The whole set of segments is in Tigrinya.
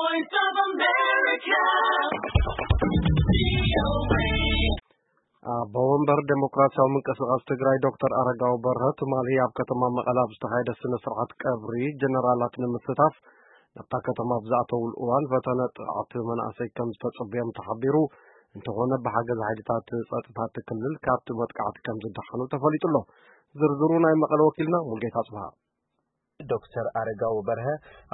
Voice of America. ኣቦ ወንበር ዴሞክራሲያዊ ምንቅስቃስ ትግራይ ዶክተር ኣረጋዊ በርሀ ትማሊ ኣብ ከተማ መቐለ ኣብ ዝተኻየደ ስነ ስርዓት ቀብሪ ጀነራላት ንምስታፍ ናብታ ከተማ ኣብ ዝኣተውሉ እዋን ፈተነ ጥቕዓት መናእሰይ ከም ዝተጸበዮም ተሓቢሩ። እንተኾነ ብሓገዝ ሓይልታት ጸጥታ እቲ ክልል ካብቲ መጥቃዕቲ ከም ዝደሓኑ ተፈሊጡ ኣሎ። ዝርዝሩ ናይ መቐለ ወኪልና ሙልጌታ ጽብሃ። ዶክተር ኣረጋዊ በርሀ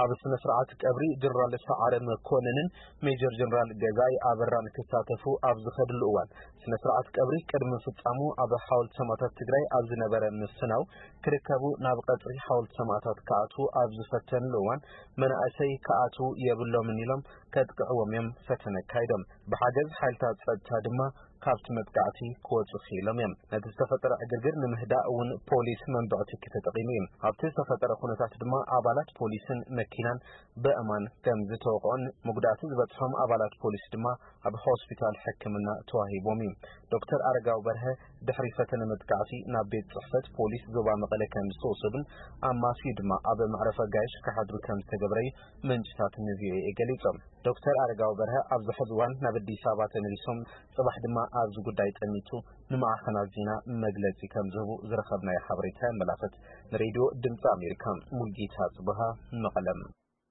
ኣብ ስነ ስርዓት ቀብሪ ጀነራል ሰዓረ መኮንንን ሜጀር ጀነራል ገዛኢ ኣበራን ክሳተፉ ኣብ ዝኸድሉ እዋን ስነ ስርዓት ቀብሪ ቅድሚ ፍጻሙ ኣብ ሓወልቲ ሰማእታት ትግራይ ኣብ ዝነበረ ምስናው ክርከቡ ናብ ቀጽሪ ሓወልቲ ሰማእታት ክኣትዉ ኣብ ዝፈተንሉ እዋን መናእሰይ ክኣትዉ የብሎምን ኢሎም ከጥቅዕዎም እዮም ፈተነ ኣካይዶም። ብሓገዝ ሓይልታት ጸጥታ ድማ ካብቲ መጥቃዕቲ ክወፁ ክኢሎም እዮም። ነቲ ዝተፈጠረ ዕግርግር ንምህዳእ እውን ፖሊስ መንብዕቲ ተጠቒሙ እዩ። ኣብቲ ዝተፈጠረ ኩነታት ድማ ኣባላት ፖሊስን መኪናን ብእማን ከም ዝተወቕዑን መጉዳእቲ ዝበፅሖም ኣባላት ፖሊስ ድማ ኣብ ሆስፒታል ሕክምና ተዋሂቦም እዩ። ዶክተር ኣረጋዊ በርሀ ድሕሪ ፈተነ መጥቃዕቲ ናብ ቤት ፅሕፈት ፖሊስ ዞባ መቐለ ከም ዝተወሰዱን ኣማስዩ ድማ ኣብ መዕረፊ ኣጋይሽ ክሓድሩ ከም ዝተገብረ እዩ ምንጭታት ንቪኦኤ ገሊፆም። ዶክተር ኣረጋዊ በርሀ ኣብዚ ሕዚ እዋን ናብ ኣዲስ ኣበባ ተመሊሶም ፅባሕ ድማ ኣብዚ ጉዳይ ጠሚቱ ንማዕኸናት ዜና መግለፂ ከም ዝህቡ ዝረኸብናዮ ሓበሬታ የመላኽት። ንሬድዮ ድምፂ ኣሜሪካ ሙልጌታ ጽብሃ መቐለም።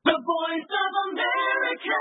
The Voice of America.